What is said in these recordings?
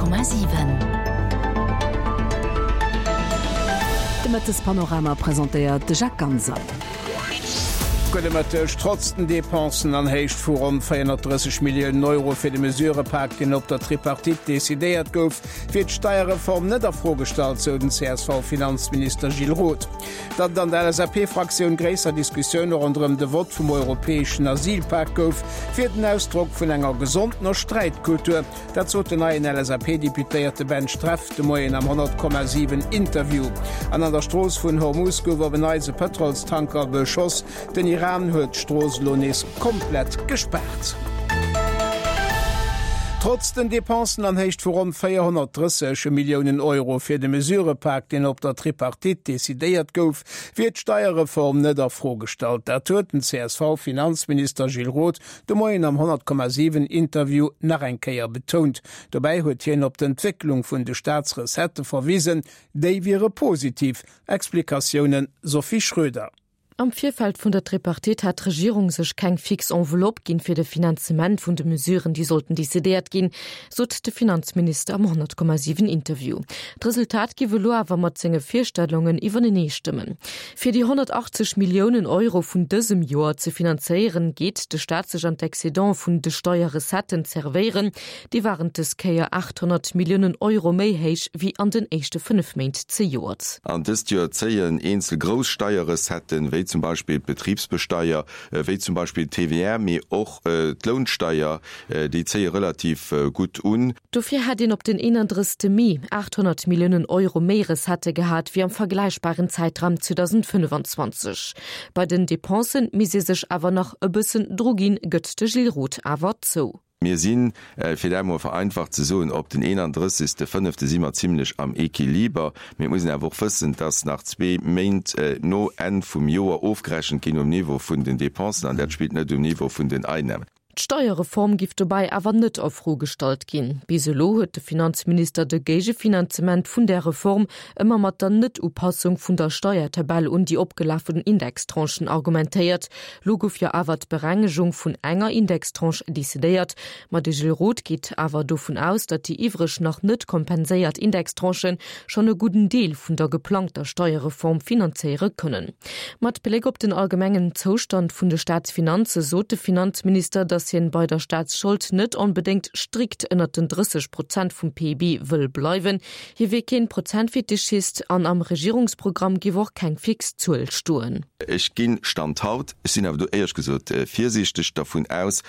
100,7. De Mëttespanorama presentéiert de Jacques Ganser. Gudde Mëtteg. Trotz den Depensen an Héicht vu ronn 430 Milliounen Euro fir de Mesurëpak, deen op der Tripartite decidéiert gouf, wier d'Steierreform net a Fro gestallt, sou den CSV-Finanzminister Gilles Roth. Datt et an der LSAP-Fraktioun gréisser Diskussioune ronderëm de Vott vum europäeschen Asylpak gouf, wier den Ausdrock vun enger gesondener Sträitkultur. Dat sot den neien LSAP-Deputéierte Ben Streff de Moien am 100,7 Interview. An an der Strooss vun Hormuz gouf op en Neits e Pëtrolstanker beschoss. Den Iran huet d'Strooss elo nees komplett gespaart. Trotz den Depensen an Héicht vu ronn 430 Milliounen Euro fir de Mesurëpak, deen op der Tripartite decidéiert gouf, wier d'Steierreform net a Fro gestallt. Dat huet den CSV-Finanzminister Gilles Roth de Moien am 100,7 Interview nach eng Kéier betount. Dobäi huet hien op d'Entwécklung vun de Staatsrecettë verwisen, déi wiere positiv. Explikatiounen Sophie Schröder. Am Virfeld vun der Tripartite hat d'Regierung sech keng fix Enveloppe ginn, fir de Finanzement vun de Mesuren, déi sollten decidéiert ginn, sot de Finanzminister am 100,7 Interview. D'Resultat giff elo awer mat senge Virstellungen iwwertenee stëmmen. Fir déi 180 Milliounen Euro vun dësem Joer ze finanzéieren, geet de Staat sech an d'Excédents vun de Steierrecetten zerwéieren. Déi waren dës Kéier 800 Milliounen Euro méi héich wéi an den éischte 5 Méint zejoert. An dëst Joer zéien eenzel grouss Steierrecetten, wéi zum Beispill d'Betribsbesteier, wéi zum Beispill d'TVR, mee och d'Lounsteier, déi zéie relativ gutt un. Dofir hätt een op den 31 Mee 800 Milliounen Euro méi Recettë gehat wéi am vergläichbaren Zäitraum 2025. Bei den Depensen misst ee sech awer nach e bëssen druginn, gëtt de Gilles Roth awer zou. Mir sinn, fir dat emol vereinfacht ze soen, op den 31. Fënnefte si mer zimlech am Equiliber. Mee et muss een awer och wëssen, dass nach zwee Méint no Enn vum Joer ofgerechent ginn um Niveau vun den Dépensen, an dat spillt net um Niveau vun den Einnahmen. D'Steierreform giff dobäi awer net a Fro gestallt ginn. Bis elo huet de Finanzminister de Géigefinanzement vun där Reform ëmmer mat der Net-Upassung vun der Steiertabell un déi opgelafen Indextranchen argumentéiert. Lo gouf jo awer d'Berengegung vun enger Indextranche decidéiert. Ma de Gilles Roth geet awer dovun aus, datt déi iwwreg nach net kompenséiert Indextranchen schonn e gudden Deel vun der geplangter Steierreform finanzéiere kënnen. Mat Bléck op den allgemengen Zoustand vun de Staatsfinanze sot de Finanzminister, datt hien bei der Staatsschold net onbedéngt strikt ënnert den 30 Prozent vum PIB wëll bleiwen. Hie wier keen Prozentfetischist an am Regierungsprogramm giff och keng fix Zuel stoen. Ech ginn, Stand haut, ech sinn awer do éierlech gesot virsiichteg, dervun aus,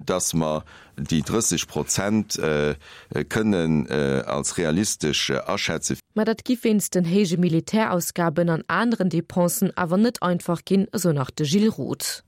dass mer déi 30 Prozent kënnen als realistesch aschätzen. Mä dat giff wéinst den héije Militärausgaben an aneren Depensen awer net einfach ginn, esou nach de Gilles Roth.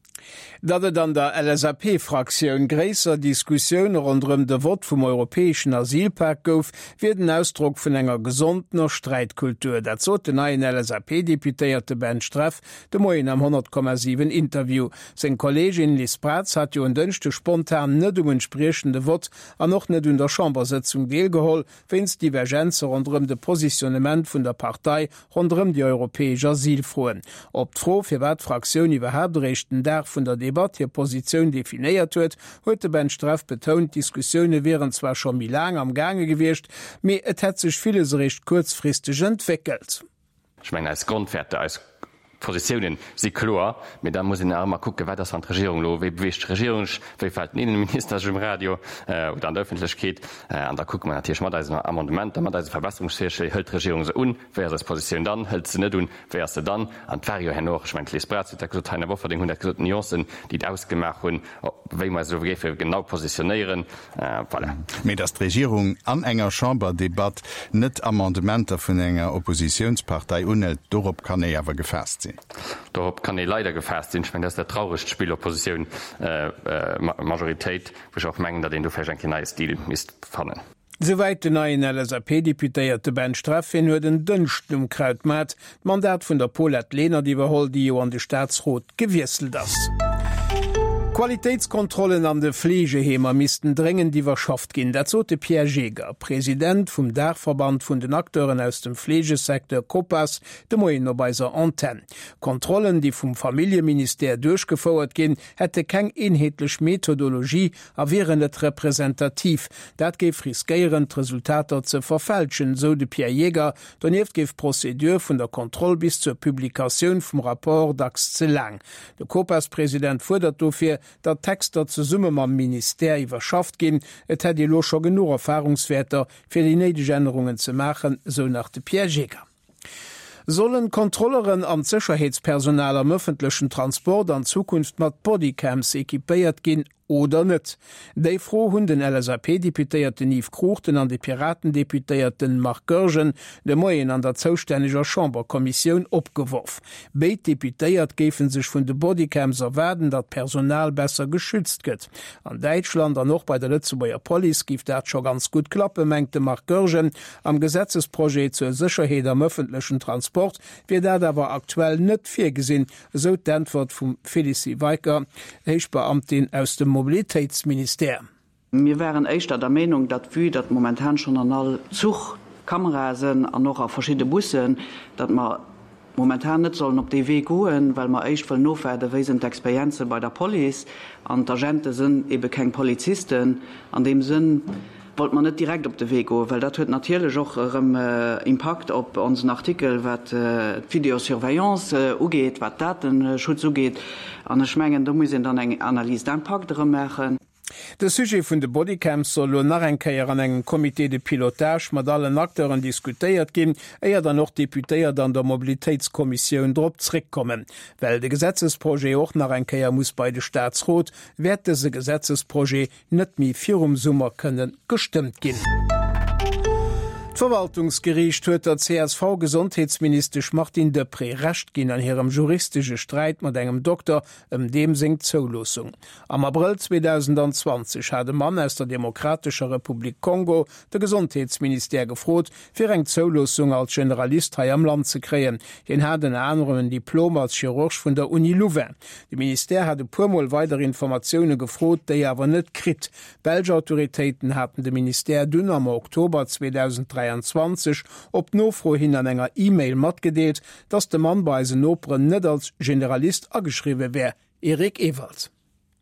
Datt et an der LSAP-Fraktioun gréisser Diskussioune ronderëm de Vott vum europäeschen Asylpak gouf, wier den Ausdrock vun enger gesondener Sträitkultur. Dat sot den neien LSAP-Deputéierte Ben Streff de Moien am 100,7 Interview. Seng Kolleegin Liz Braz hat jo en Dënschdeg spontan net um entspriechende Vott an och net un der Chambersëtzung deelgeholl, wéinst Divergenze ronderëm de Positionnement vun der Partei ronderëm déi europäesch Asylfroen. Op d'Fro, firwat d'Fraktioun iwwerhaapt eréischt den Dag vun der Debatt hir Positioun definéiert huet, huet de Ben Streff betount, d'Diskussioune wieren zwar scho méi laang am gaange gewiescht, mee et hätt sech villes eréischt kuerzfristeg entwéckelt. Ech mengen, eis Grondwäerter, eis Positiounen si kloer, mee da muss een nach ëmmer kucken, wat ass wann d'Regierung elo, wéi beweegt d'Regierung sech, wéi verhält den Innenminister sech um Radio oder an der Öffentlechkeet. An da kucke mer natierlech mat eisen Amendementer, mat eise Verbesserungsvirschléi, hëlt d'Regierung se un, wéi ass eis Positioun dann, hëlt se net un, wéi ass se dann? An et war jo herno och, ech mengen, d'Liz Braz huet dat gesot, d'Taina Bofferding hunn dat gesot, Nuancen, déi et ausgemaach hunn, wéi mer eis elo géife genau positionéieren. Voilà. Mee datt d'Regierung an enger Chamberdebatt net Amendementer vun enger Oppositiounspartei unhëlt, dorop kann ee awer gefaasst sinn. Dorop kann ee leider gefaasst sinn. Ech mengen, dat ass dat trauregt Spill Oppositioun, Majoritéit, wou ech och mengen, datt een do vläicht eng Kéier neie Stil misst fannen. Souwäit den neien LSAP-Deputéierte Ben Streff. Hien huet en Dënschden um Krautmaart d'Mandat vun der Paulette Lenert iwwerholl, déi jo an de Staatsrot gewiesselt ass. D'Qualitéitskontrollen an de Fleegeheemer missten dréngend iwwerschafft ginn. Dat sot de Pierre Jaeger, President vum Daachverband vun den Acteuren aus dem Fleegesecteur Copas, de Moien op eiser Antenn. Kontrollen, déi vum Familljeministère duerchgefouert ginn, hätte keng eenheetlech Methodologie a wieren net representativ. Dat géif riskéieren, d'Resultater ze verfälschen, sou de Pierre Jaeger. Donieft géif d'Procédure vun der Kontroll bis zur Publikatioun vum Rapport dacks ze laang. De Copas-President fuerdert dofir, datt d'Texter zesumme mam Ministère iwwerschafft ginn. Et hätt ee lo scho genuch Erfarungswäerter, fir déi néideg Ännerungen ze maachen, sou nach de Pierre Jaeger. Sollen d'Kontrolleren an d'Sécherheetspersonal am ëffentlechen Transport an Zukunft mat Bodycams equipéiert ginn oder net? Déi Fro hunn den LSAP-Deputéierten Yves Cruchten an de Piraten-Deputéierten Marc Goergen de Moien an der zoustänneger Chamberkommissioun opgeworf. Béid Deputéiert géife sech vun de Bodycams erwaarden, datt d'Personal besser geschützt gëtt. An Däitschland an och bei der Lëtzebuerger Police géif dat scho ganz gutt klappen, mengt de Marc Goergen. Am Gesetzesprojet zur Sécherheet am ëffentlechen Transport wier dat awer aktuell net virgesinn, esou d'Äntwert vum Félicie Weicker, Héichbeamtin aus dem Mobilitéitsministère. Mir waren éischter der Meenung, datt, vue datt momentan schonn an all Zuch Kamerae sënn an och a verschidde Bussen, datt mer momentan net sollen op dee Wee goen, well mer éischt wëllen ofwaarden, wéi sinn d'Experienze bei der Police. An d'Agente sënn ebe keng Polizisten. An deem Sënn wollte mer net direkt op de Wee goen, well dat huet natierlech och erëm Impakt op onsen Artikel, wat d'Vidéosurveillance ugeet, wat d'Dateschutz ugeet. An ech mengen, do muss een dann eng Analyse d'impact erëm maachen. De Sujet vun de Bodycams soll elo nach eng Kéier an engem Comité de pilotage mat allen Acteuren diskutéiert ginn, éier dann och d'Deputéiert an der Mobilitéitskommissioun drop zréckkommen. Well de Gesetzesprojet och nach eng Kéier muss bei de Staatsrot, wäert dëse Gesetzesprojet net méi virum Summer kënne gestëmmt ginn. D'Verwaltungsgeriicht huet der CSV-Gesondheetsministesch Martine Deprez Recht ginn an hirem juristesche Sträit mat engem Dokter ëm deem seng Zouloossung. Am Abrëll 2020 hat e Mann aus der Demokratescher Republik Kongo de Gesondheetsministère gefrot, fir eng Zouloossung als Generalist hei am Land ze kréien. Hien hat ënner anerem en Diplom als Chirurg vun der Uni Louvain. De Ministère hat e puer Mol weider Informatioune gefrot, déi awer net kritt. D'belsch Autoritéiten haten de Ministère dunn am Oktober 2023 op Nofro hin an enger E-Mail matgedeelt, datt de Mann bei eisen Noperen net als Generalist ageschriwwe wär. Eric Ewald.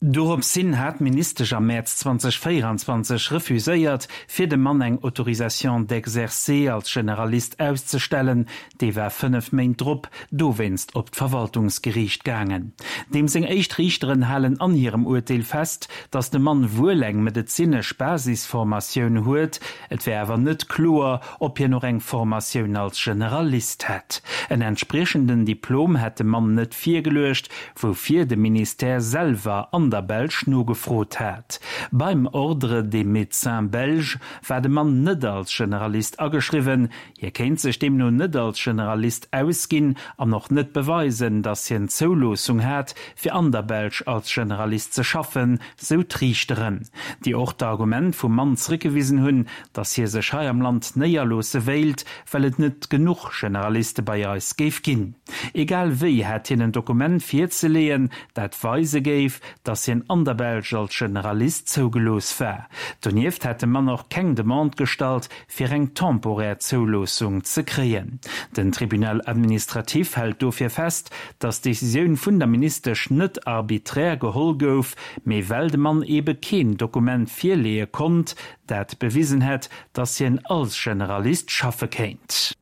Dorops hin hat d'Ministesch am Mäerz 2024 refuséiert, fir dem Mann eng Autorisation d'exercer als Generalist auszestellen. Dee war 5 Méint drop dowéinst op d'Verwaltungsgeriicht gaangen. Deem seng éischt Riichteren halen an hirem Urteel fest, datt de Mann wuel eng medezinesch Basisformatioun huet, et wär awer net kloer, ob hien och eng Formatioun als Generalist hätt. En entspriechenden Diplom hätt de Mann net virgeluecht, woufir de Ministère selwer an der Belsch nogefrot hat. Beim Ordre des médecins belges war de Mann net als Generalist ageschriwwen. Hie kéint sech deemno net als Generalist ausginn an och net beweisen, datt hien d'Zouloossung hat, fir an der Belsch als Generalist ze schaffen, sou d'Riichteren, déi och d'Argument vum Mann zréckgewisen hunn, datt hie sech hei am Land néierloosse wéilt, well et net genuch Generaliste bei eis géif ginn. Egal wéi hätt hien en Dokument virzeleeën, dat weise géif, datt hien an der Belsch als Generalist zougelooss war. Donieft hätt de Mann och keng Demande gestallt, fir eng temporär Zouloossung ze kréien. Den Tribunal administratif hält dofir fest, datt d'Decisioun vun der Ministesch net arbiträr geholl gouf, mee well de Mann eebe keen Dokument virleeë konnt, dat bewisen hätt, datt hien als Generalist schaffe kéint.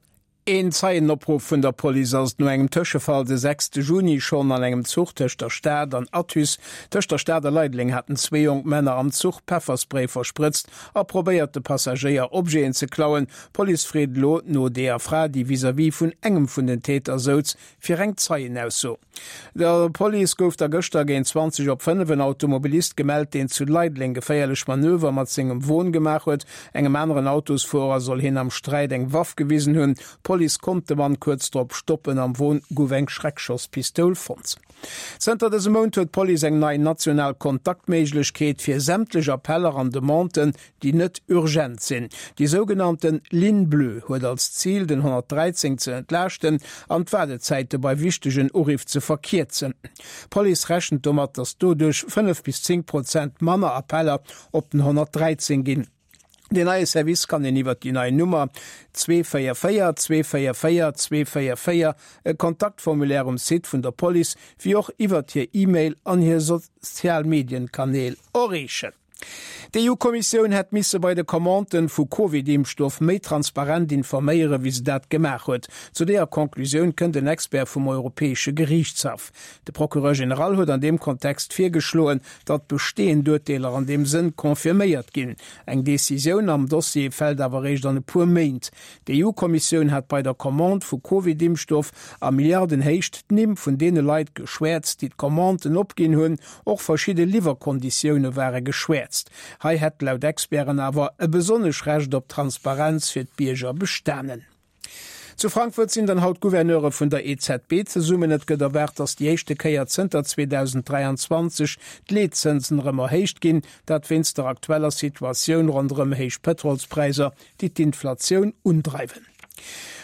Een Zeienopruff vun der Police ass et no engem Tëschefall de 6 Juni schonn an engem Zuch tëscht der Stad an Athus. Tëscht der Stad a Leideleng haten zwee jonk Männer am Zuch Pefferspray versprëtzt a probéiert de Passagéier Objeten ze klauen. D'Police freet elo no deeër Fra, déi vis-à-vis vun engem vun den Täter souz, fir eng Zeienausso. Der Police gouf da gëschter géint 20 op 5 en Automobilist gemellt, deen zu Leideleng geféierlech Manöver mat sengem Won gemaach huet. Engem aneren Autosfuerer soll hien am Sträit eng Waff gewisen hunn. D'Police. D'Police konnt de Mann kuerz drop stoppen. Am Won gouf eng Schreckschosspistoul fonnt. Zënter dësem Mount huet d'Police eng nei national Kontaktméiglechkeet fir sämtlech Appeller an Demanden, déi net urgent sinn. Déi sougenannten Ligne bleue huet als Zil, den 113 ze entlaaschten an d'Waardezäite bei wichtegen Uriff ze verkierzen. D'Police rechent domat, datt doduerch 5 bis 10 Prozent manner Appeller op den 113 ginn. Deen neie Service kann een iwwert déi nei Nummer 244 244 244, e Kontaktformulaire um Site vun der Police, wéi och iwwert hir E-Mail an hir sozial Medienkanäl erreechen. D'EU-Kommissioun hätt misse bei de Commanden vu Covid-Impfstoff méi transparent informéieren, wéi se dat gemaach huet. Zu deeër Conclusioun kënnt en Expert vum Europäesche Geriichtshaff. De Procureur général huet an deem Kontext virgeschloen, datt bestehend Urteeler an deem Sënn confirméiert ginn. Eng Decisioun am Dossier fält awer eréischt an e puer Méint. D'EU-Kommissioun hat bei der Commande vu Covid-Impfstoff a Milliardenhéicht d'Nimm vun deene Leit geschwäerzt, déi d'Commanden opginn hunn. Och verschidde Liwwerkonditioune ware geschwäerzt. Hei hätt laut Experten awer e besonnesch Recht op Transparenz fir d'Bierger bestanen. Zu Frankfurt sinn dann haut d'Gouverneure vun der EZB zesummen. Et gëtt erwaart, datt déi éischte Kéier zënter 2023 d'Leetzënsen erëm erhéicht ginn. Dat wéinst der aktueller Situatioun ronderëm héich Pëtrolspräisser, déi d'Inflatioun undreiwen.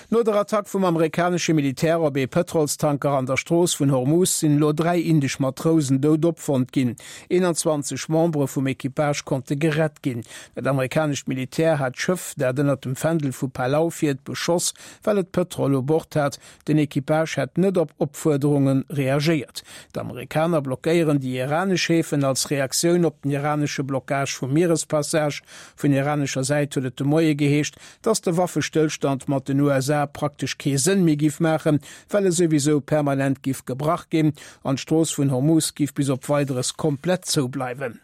No der Attack vum amerikanesche Militär op ee Pëtrolstanker an der Strooss vun Hormuz sinn elo 3 indesch Matrousen dout opfonnt ginn. 21 Membere vum Equipage konnte gerett ginn. Dat amerikanescht Militär hat d'Schëff, dat ënnert dem Fändel vu Palau fiert, beschoss, well et Pëtrol u Bord hat. Den Equipage hätt net op Opfuerderunge reagéiert. D'Amerikaner blockéieren déi iranesch Häfen als Reaktioun op den iranesche Blockage vum Mierespassage. Vun iranescher Säit huet et de Moie geheescht, datt de Waffestëllstand mat den USA praktesch kee Sënn méi giff maachen, well e souwisou permanent giff gebrach ginn an d'Strooss vun Hormuz giff bis op Weideres komplett zou bleiwen.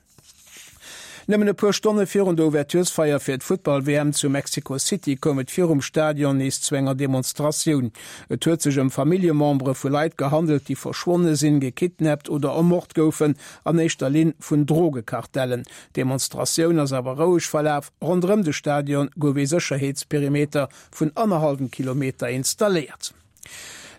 Nëmmen e puer Stonne virun der Ouverturesfeier fir d'Futtball-WM zu Mexico City koum et virum Stadion nees zu enger Demonstratioun. Et huet sech ëm Familljemembere vu Leit gehandelt, déi verschwonne sinn, gekidnappt oder ermort goufen, an éischter Linn vun Drogekartellen. D'Demonstratioun ass awer roueg verlaf. Ronderëm de Stadion gouf ee Sécherheetsperimeter vun annerhallwem Kilometer installéiert.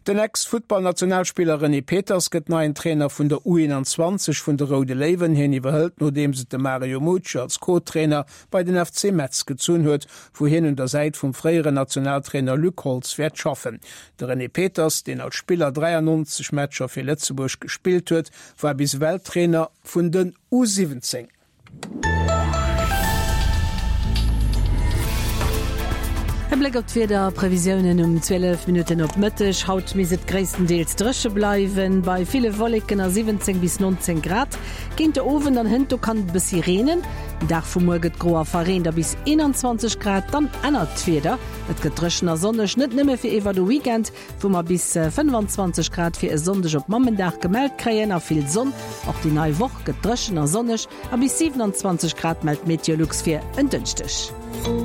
Den Ex-Futtballnationalspiller René Peters gëtt neien Trainer vun der U21 vun de Roude Léiwen. Hien iwwerhëlt nodeems et de Mario Mucci als Co-Trainer bei den FC Metz gezunn huet, wou hien un der Säit vum fréieren Nationaltrainer Luc Holtz wäert schaffen. De René Peters, deen als Spiller 93 Matcher fir Lëtzebuerg gespillt huet, war bis ewell Trainer vun den U17. E Bléck op d'Wiederprevisiounen um 12 Minutten op Mëtteg. Haut misst et gréisstendeels dréche bleiwen, bei ville Wolleken a 17 bis 19 Grad. Géint de Owend an hënt do kann et e bëssi reenen. Den Dag vu muer gëtt gro a verreent a bis 21 Grad. Dann ännert d'Wieder, et gëtt dréchen a sonneg, net nëmme fir iwwer de Weekend, wou mer bis 25 Grad fir e Sonndeg op Mammendag gemellt kréien a vill Sonn. Och déi nei Woch gëtt dréchen a sonneg a bis 27 Grad mellt Meteolux fir en Dënschdeg.